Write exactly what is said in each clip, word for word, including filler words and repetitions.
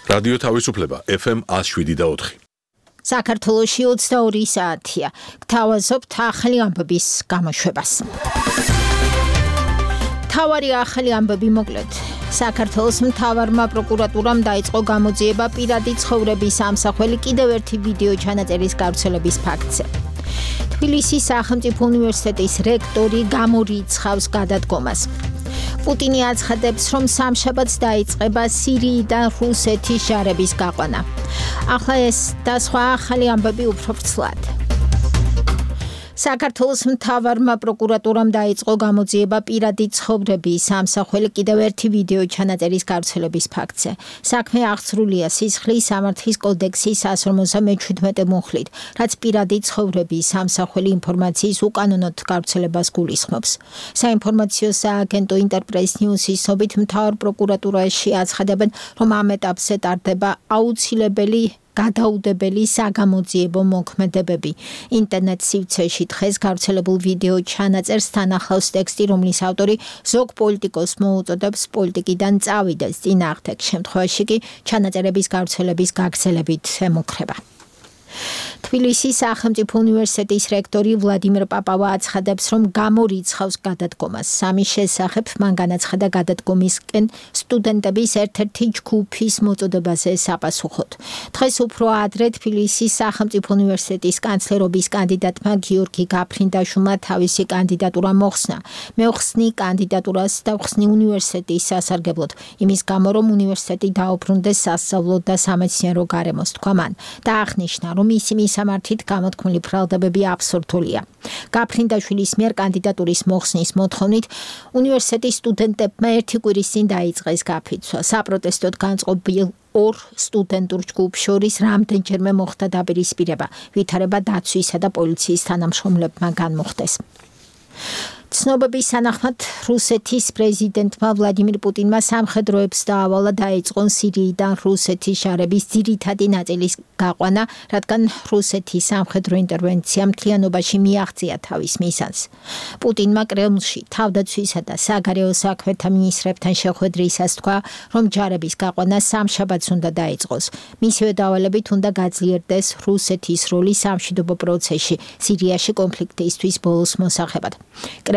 რადიო თავისუფლება ეფ ემ one oh seven და four. საქართველოში ოცდაორი საათია. გთავაზობთ ახალი ამბების გამოშვებას. თავარი ახალი ამბები მოკლედ. საქართველოს მთავარმა პროკურატურამ დაიწყო გამოძიება პირადი ცხოვრების ამსახველი კიდევ ერთი ვიდეო ჩანაწერის გავრცელების ფაქტზე. თბილისის სახელმწიფო უნივერსიტეტის რექტორი გამორიცხავს გადადგომას. პუტინი აცხადებს, რომ სამშაბათს დაიწყება სირიიდან რუსეთის ჯარების გაყვანა. ახლა ეს და სხვა ახალი ამბები უფრო ვრცლად. საქართველოს მთავარმა პროკურატურამ დაიწყო გამოძიება პირადი ცხოვრების ამსახველი კიდევ ერთი ვიდეო ჩანაწერის გავრცელების ფაქტზე. საქმე აღსრულია სისხლის სამართლის კოდექსის one forty-seven მუხლით, რაც პირადი ცხოვრების ამსახველი ინფორმაციის უკანონოდ გავრცელებას გულისხმობს. საინფორმაციო სააგენტო ინტერპრეს ნიუსის ცნობით მთავარ პროკურატურაში აცხადებენ, რომ ამ ეტაპზე ტარდება აუცილებელი გადაუდებელი საგამოძიებო მოქმედებები. ინტერნეტ სივრცეში დღეს გავრცელებულ ვიდეო ჩანაწერს თან ახლავს ტექსტი, რომლის ავტორი ზოგ პოლიტიკოს მოუწოდებს პოლიტიკიდან წავიდეს. წინააღმდეგ შემთხვევაში კი ჩანაწერების გავრცელების გაგრძელებით ემუქრება. თბილისის სახელმწიფო უნივერსიტეტის რექტორი ვლადიმერ პაპავა აცხადებს, რომ გამორიცხავს გადადგომას. სამის შესახებ მან განაცხადა გადადგომისკენ სტუდენტების ერთ-ერთი ჯგუფის მოწოდებაზე საპასუხოდ. დღეს უფრო ადრე თბილისის სახელმწიფო უნივერსიტეტის კანცლერობის კანდიდატმა გიორგი გაფრინდაშვილმა თავისი კანდიდატურა მოხსნა. მეუხსნი კანდიდატურას დავხსნი უნივერსიტეტის სასარგებლოდ, იმის გამო, რომ უნივერსიტეტი დაუბრუნდეს სასწავლო და სამეცნიერო გარემოს, თქვა მან და აღნიშნა, რომ მისი მისამართით გამოთქმული ბრალდებები აბსურდულია. გაფრინდაშვილის მიერ კანდიდატურის მოხსნის მოთხოვნით უნივერსიტეტის სტუდენტებმა ერთი კვირის წინ დაიწყეს გაფიცვა. საპროტესტოდ განწყობილ ორ სტუდენტურ ჯგუფს შორის რამდენჯერმე მოხდა დაპირისპირება, ვითარება დაცვისა და პოლიციის თანამშრომლებმა განმოხდეს. ცნობების თანახმად რუსეთის პრეზიდენტმა ვლადიმირ პუტინმა სამხედროებს დაავალა დაეწყონ სირიიდან რუსეთის ჯარების ძირითადი ნაწილის გაყვანა, რადგან რუსეთის სამხედრო ინტერვენცია მთლიანობაში მიაღწია თავის მიზანს. პუტინმა კრემლში თავდაცვისა და საგარეო საქმეთა მინისტრებთან შეხვედრისას თქვა, რომ ჯარების გაყვანა სამშაბათს უნდა დაიწყოს. მისივე დავალებით უნდა გაძლიერდეს რუსეთის როლი სამშვიდობო პროცესში სირიაში კონფლიქტისთვის ბოლოს მოსახებად.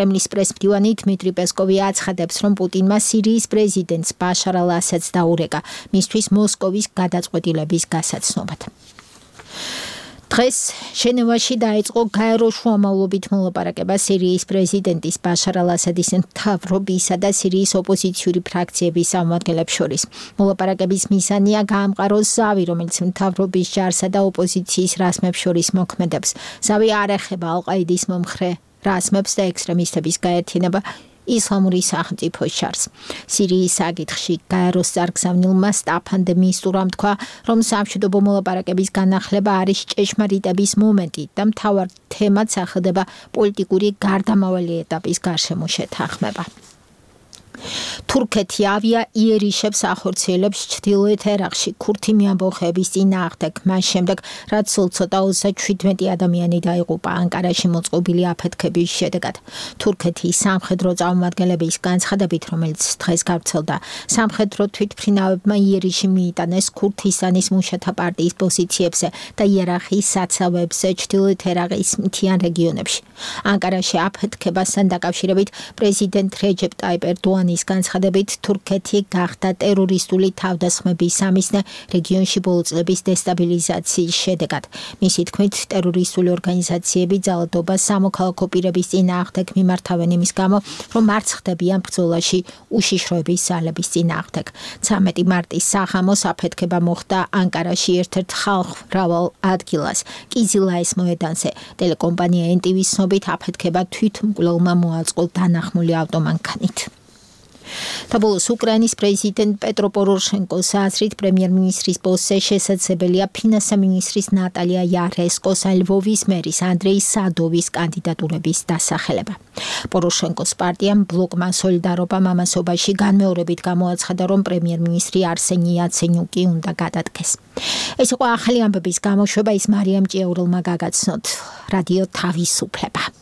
კრემლის პრესმდივანი დმიტრი პესკოვი აცხადებს, რომ პუტინმა სირიის პრეზიდენტს ბაშარ ალ-ასადს დაურეკა მისთვის მოსკოვის გადაწყვეტილების გასაცნობად. დღეს ჟენევაში დაიწყო გაერო შუამავლობით მოლაპარაკება სირიის პრეზიდენტის ბაშარ ალ-ასადის მთავრობისა და სირიის ოპოზიციური ფრაქციების წარმომადგენლებს შორის. მოლაპარაკების მიზანია გაამყაროს ზავი, რომელიც მთავრობის ჯარსა და ოპოზიციის რაზმებს შორის მოქმედებს. ზავი არ ეხება ალ-ყაიდის მომხრე რაზმებს და ექსტრემისტების გაერთიანება ისლამური სახელმწიფოს ჯარს. სირიის საკითხში გაეროს წარგზავნილმა სტაფან დე მისტურამ თქვა, რომ სამშვიდობო მოლაპარაკების განახლება არის ჭეშმარიტების მომენტი და მთავარ თემად სახელდება პოლიტიკური გარდამავალი ეტაპის გარშემო შეთანხმება. თურქეთი ავია იერიშებს ახორციელებს ჩრდილოეთ ერაყში ქურთი მეამბოხეების წინააღმდეგ, მას შემდეგ, რაც სულ ცოტა ოცდაშვიდმეტი ადამიანი დაიღუპა ანკარაში მოწყობილი აფეთქების შედეგად. თურქეთის სამხედრო წარმომადგენლების განცხადებით, რომელიც დღეს გავრცელდა, სამხედრო თვითმფრინავებმა იერიში მიიტანეს ქურთისტანის მუშათა პარტიის პოზიციებზე და იერახის საცავებზე ჩრდილოეთ ერაყის მთიან რეგიონებში. ანკარაში აფეთქებასთან დაკავშირებით პრეზიდენტ რეჯეპ ტაიპ ერდოანის განცხადებით, თურქეთი გახდა ტერორისტული თავდასხმების სამიზნე რეგიონში ბოლო წლების დესტაბილიზაციის შედეგად. მისი თქმით, ტერორისტული ორგანიზაციები ძალადობას სამოქალაქო პირების წინააღმდეგ მიმართავენ იმის გამო, რომ არ ხდებიან ბრძოლაში უშიშროების ძალების წინააღმდეგ. ცამეტი მარტის საღამოს აფეთქება მოხდა ანკარაში ერთ-ერთ ხალხმრავალ ადგილას, კიზილაის მოედანზე. ტელეკომპანია ენ ტი ვის ცნობით, აფეთქება თვითმკვლელმა მოაწყო დანახმული ავტომანქანით. და ბოლოს უკრაინის პრეზიდენტ პეტრო პოროშენკოს აზრით პრემიერ-მინისტრის პოსტზე შესაძლებელია ფინანსთა მინისტრის ნატალია იარესკოს ან ლვოვის მერის ანდრეი სადოვის კანდიდატურების დასახელება. პოროშენკოს პარტიამ ბლოკმა სოლიდარობა მამასობაში განმეორებით გამოაცხადა, რომ პრემიერ-მინისტრი არსენი იაცენიუკი უნდა გადადგეს. ეს იყო ახალი ამბების გამოშვება, ის მარიამ ჭიაურელმა გაგაცნოთ. რადიო თავისუფლება.